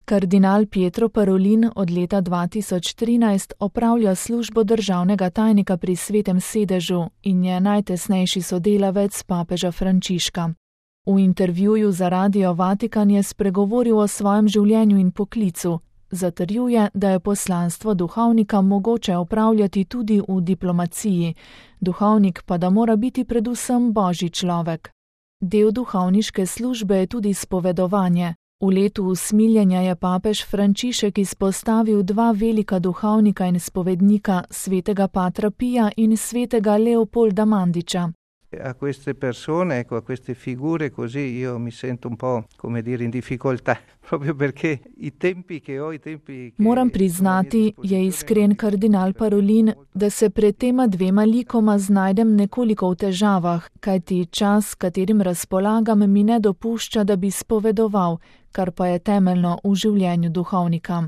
Kardinal Pietro Parolin od leta 2013 opravlja službo državnega tajnika pri Svetem sedežu in je najtesnejši sodelavec papeža Frančiška. V intervjuju za Radio Vatikan je spregovoril o svojem življenju in poklicu. Zatrjuje, da je poslanstvo duhovnika mogoče opravljati tudi v diplomaciji, duhovnik pa da mora biti predvsem božji človek. Del duhovniške službe je tudi spovedovanje. V letu usmiljenja je papež Frančišek izpostavil dva velika duhovnika in spovednika, svetega Patra Pija in svetega Leopolda Mandića. A queste persone, a queste figure così io mi sento un po', come dire, in difficoltà, proprio perché i tempi che ho, Moram priznati, je iskren kardinal Parolin, da se pred tema dvema likoma znajdem nekoliko v težavah, kajti čas, katerim razpolagam, mi ne dopušča, da bi spovedoval, kar pa je temeljno v življenju duhovnika.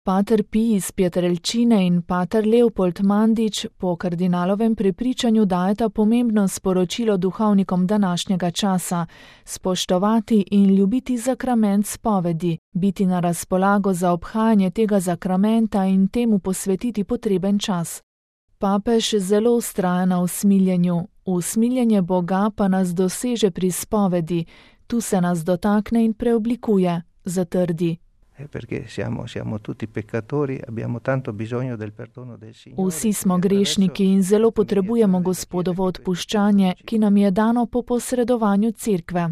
Pater Pij iz Pietrelcine in pater Leopold Mandić po kardinalovem prepričanju dajeta pomembno sporočilo duhovnikom današnjega časa: spoštovati in ljubiti sakrament spovedi, biti na razpolago za obhajanje tega sakramenta in temu posvetiti potreben čas. Papež zelo vztraja na usmiljenju, usmiljenje Boga pa nas doseže pri spovedi, tu se nas dotakne in preoblikuje, zatrdi. Perché siamo tutti peccatori, abbiamo tanto bisogno del perdono del Signore. Vsi smo grešniki in zelo potrebujemo Gospodovo odpuščanje, ki nam je dano po posredovanju Cerkve.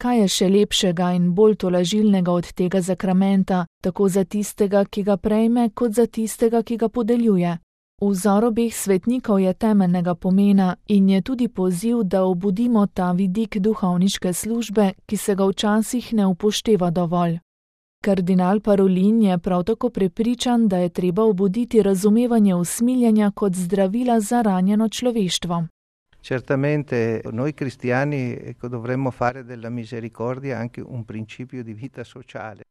Kaj je še lepšega in bolj tolažilnega od tega sakramenta, tako za tistega, ki ga prejme, kot za tistega, ki ga podeljuje? Vzor obeh svetnikov je temeljnega pomena in je tudi poziv, da obudimo ta vidik duhovniške službe, ki se ga včasih ne upošteva dovolj. Kardinal Parolin je prav tako prepričan, da je treba obuditi razumevanje usmiljenja kot zdravila za ranjeno človeštvo. Certamente noi cristiani dovremmo fare della misericordia anche un principio di vita sociale.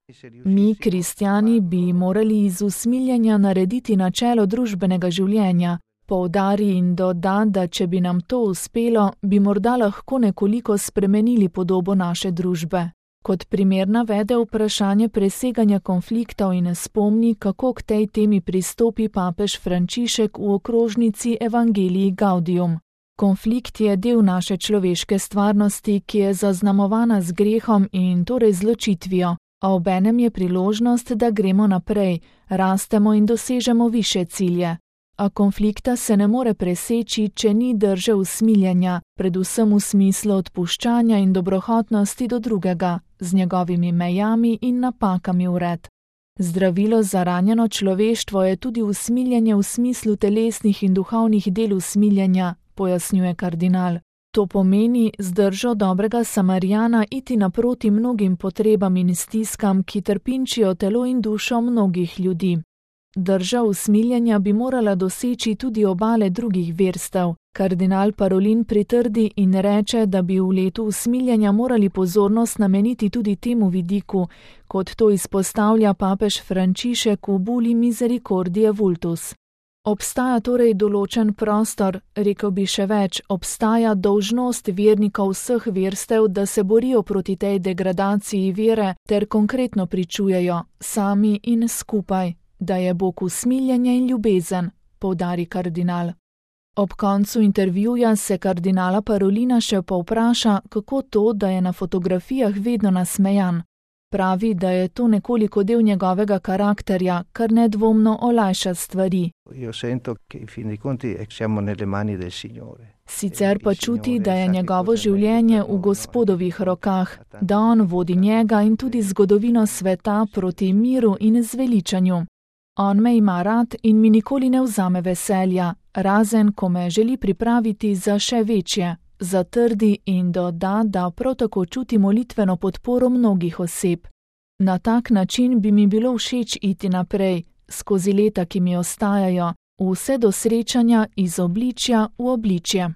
Mi, kristjani, bi morali iz usmiljenja narediti načelo družbenega življenja. Poudari in doda, da če bi nam to uspelo, bi morda lahko nekoliko spremenili podobo naše družbe. Kot primer navede vprašanje preseganja konfliktov in spomni, kako k tej temi pristopi papež Frančišek v okrožnici Evangelii Gaudium. Konflikt je del naše človeške stvarnosti, ki je zaznamovana z grehom in torej z ločitvijo, a obenem je priložnost, da gremo naprej, rastemo in dosežemo višje cilje. A konflikta se ne more preseči, če ni drže usmiljenja, predvsem v smislu odpuščanja in dobrohotnosti do drugega, z njegovimi mejami in napakami vred. Zdravilo za ranjeno človeštvo je tudi usmiljenje v smislu telesnih in duhovnih del usmiljenja, pojasnjuje kardinal. To pomeni z držo dobrega Samarijana iti naproti mnogim potrebam in stiskam, ki trpinčijo telo in dušo mnogih ljudi. Drža usmiljenja bi morala doseči tudi obale drugih verstev. Kardinal Parolin pritrdi in reče, da bi v letu usmiljenja morali pozornost nameniti tudi temu vidiku, kot to izpostavlja papež Frančišek v buli Misericordiae Vultus. Obstaja torej določen prostor, rekel bi še več, obstaja dolžnost vernikov vseh verstev, da se borijo proti tej degradaciji vere ter konkretno pričujejo, sami in skupaj, da je Bog usmiljenje in ljubezen, poudari kardinal. Ob koncu intervjuja se kardinala Parolina še povpraša, kako to, da je na fotografijah vedno nasmejan. Pravi, da je to nekoliko del njegovega karakterja, kar nedvomno olajša stvari. Sicer pa čuti, da je njegovo življenje v Gospodovih rokah, da on vodi njega in tudi zgodovino sveta proti miru in zveličanju. On me ima rad in mi nikoli ne vzame veselja, razen ko me želi pripraviti za še večje, zatrdi in doda, da prav tako čuti molitveno podporo mnogih oseb. Na tak način bi mi bilo všeč iti naprej, skozi leta, ki mi ostajajo, vse do srečanja iz obličja v obličje.